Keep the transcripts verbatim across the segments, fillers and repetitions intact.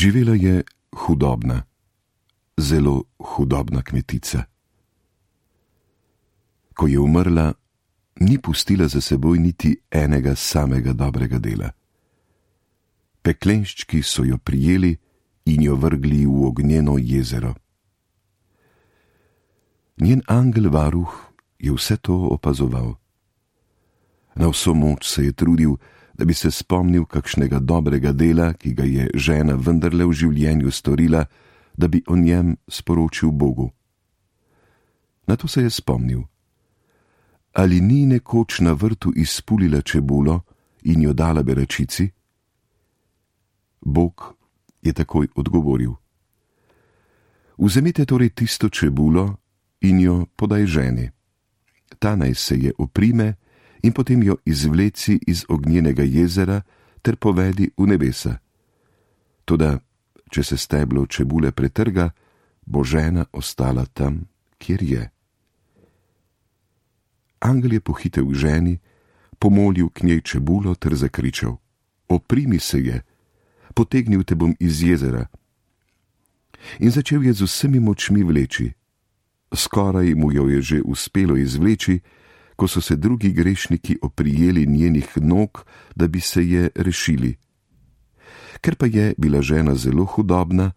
Živela je hudobna, zelo hudobna kmetica. Ko je umrla, ni pustila za seboj niti enega samega dobrega dela. Peklenščki so jo prijeli in jo vrgli v ognjeno jezero. Njen angel varuh je vse to opazoval. Na vso moč se je trudil, da bi se spomnil kakšnega dobrega dela, ki ga je žena vendarle v življenju storila, da bi o njem sporočil Bogu. Nato se je spomnil. Ali ni nekoč na vrtu izpulila čebulo in jo dala beračici? Bog je takoj odgovoril. Vzemite torej tisto čebulo in jo podaj ženi. Ta naj se je oprime in potem jo izvleci iz ognjenega jezera ter povedi v nebesa. Toda, če se steblo čebule pretrga, bo žena ostala tam, kjer je. Angel je pohitel k ženi, pomolil k njej čebulo ter zakričal: Oprimi se je, potegnil te bom iz jezera. In začel je z vsemi močmi vleči. Skoraj mu jo je že uspelo izvleči, ko so se drugi grešniki oprijeli njenih nog, da bi se je rešili. Ker pa je bila žena zelo hudobna,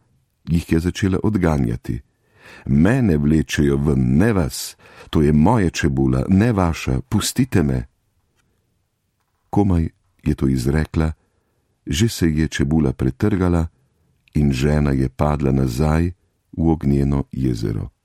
jih je začela odganjati. Mene vlečejo ven, ne vas, to je moja čebula, ne vaša, pustite me. Komaj je to izrekla, že se je čebula pretrgala in žena je padla nazaj v ognjeno jezero.